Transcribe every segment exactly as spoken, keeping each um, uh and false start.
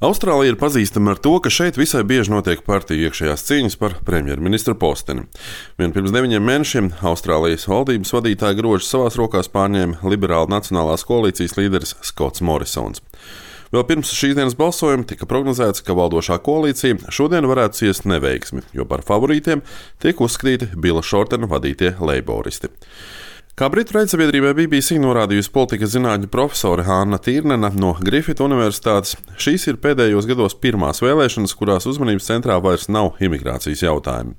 Austrālija ir pazīstama ar to, ka šeit visai bieži notiek partiju iekšējās cīņas par premjerministra posteni. Vien pirms deviņiem mēnešiem Austrālijas valdības vadītāja grožus savās rokās pārņēma liberāla nacionālās koalīcijas līderis Skots Morisons. Vēl pirms šīs dienas balsojuma tika prognozēts, ka valdošā koalīcija šodien varētu ciest neveiksmi, jo par favorītiem tiek uzskatīti Bila Šortena vadītie leiboristi. Kā britu raidsabiedrībai B B C norādījusi politikas zinātņu profesore Anna Tīrnena no Griffith Universitātes, šīs ir pēdējos gados pirmās vēlēšanas, kurās uzmanības centrā vairs nav imigrācijas jautājumi.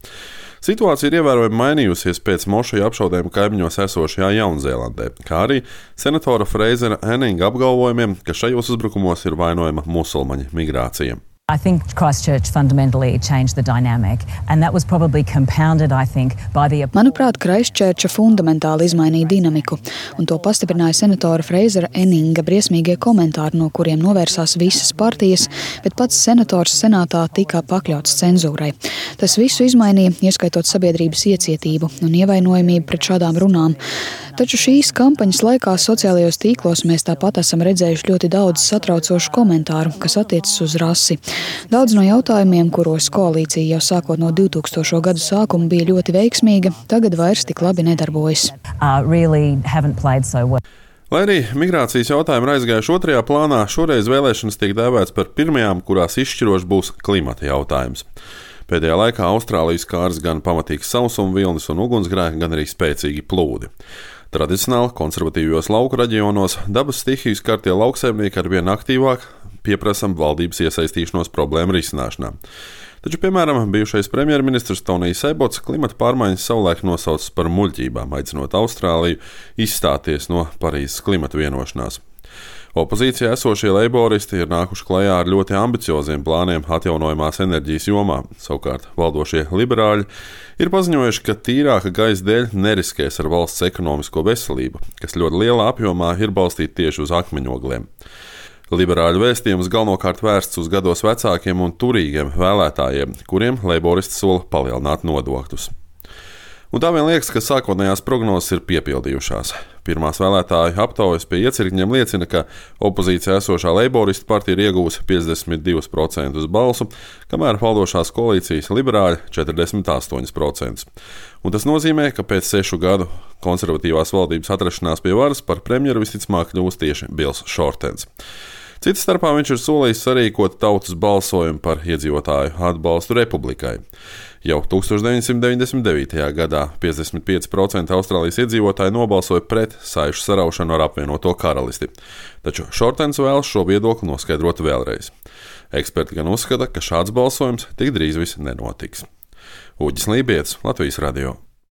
Situācija ir ievērojami mainījusies pēc mošeju apšaudēm kaimiņos esošajā Jaunzēlandē, kā arī senatora Frasera Enninga apgalvojumiem, ka šajos uzbrukumos ir vainojama musulmaņu migrācija. I think Christchurch fundamentally changed the dynamic, and that was probably compounded, I think, by the... Manuprāt, Christchurch fundamentāli izmainīja dinamiku, un to pastiprināja senatora Frasera Enninga briesmīgie komentāri, no kuriem novērsās visas partijas, bet pats senators senātā tika pakļauts cenzūrai. Tas visu izmainīja, ieskaitot sabiedrības iecietību un ievainojamību pret šādām runām. Taču šīs kampaņas laikā sociālajos tīklos mēs tāpat esam redzējuši ļoti daudz satraucošu komentāru, kas attiecas uz rasi. Daudz no jautājumiem, kuros koalīcija jau sākot no divtūkstošo gadu sākuma bija ļoti veiksmīga, tagad vairs tik labi nedarbojas. Uh, really haven't played so well. Lai arī migrācijas jautājumi ir aizgājuši otrajā plānā, šoreiz vēlēšanas tiek dēvēts par pirmajām, kurās izšķirošs būs klimata jautājums. Pēdējā laikā Austrālijas skārs gan pamatīgs sausuma vilnis un ugunsgrēki, gan arī spēcīgi plūdi. Tradicionāli konservatīvajos lauku reģionos dabas stihiju skartie lauksaimnieki arvien aktīvāk pieprasam valdības iesaistīšanos problēmu risināšanā. Taču, piemēram, bijušais premjerministrs Tonijs Ebots klimata pārmaiņas savulaik nosaucis par muļķībām, aicinot Austrāliju izstāties no Parīzes klimata vienošanās. Opozīcijā esošie leiboristi ir nākuši klajā ar ļoti ambicioziem plāniem atjaunojamās enerģijas jomā. Savukārt valdošie liberāļi ir paziņojuši, ka tīrāka gaisa dēļ neriskēs ar valsts ekonomisko veselību, kas ļoti lielā apjomā ir balstīta tieši uz akmeņogliem. Liberāļu vēstījums galvenokārt vērsts uz gados vecākiem un turīgiem vēlētājiem, kuriem leiboristi sola palielināt nodokļus. Un tā vien liekas, ka sākotnējās prognozes ir piepildījušās. Pirmās vēlētāju aptaujas pie iecirkņiem liecina, ka opozīcijā esošā leiboristu partija ir iegūsi piecdesmit divus procentus balsu, kamēr valdošās koalīcijas liberāļi četrdesmit astoņus procentus. Un tas nozīmē, ka pēc sešu gadu konservatīvās valdības atrašanās pie varas par premjeru visticamāk kļūs tieši Bils Šortens. Cita starpā viņš ir solījis sarīkot tautas balsojumu par iedzīvotāju atbalstu republikai. Jau tūkstoš deviņsimt deviņdesmit devītajā gadā piecdesmit pieci procenti Austrālijas iedzīvotāji nobalsoja pret saišu saraušanu ar apvienoto karalisti. Taču Šortens vēlas šo viedokli noskaidrot vēlreiz. Eksperti gan uzskata, ka šāds balsojums tik drīz vis nenotiks. Uģis Lībietis, Latvijas radio.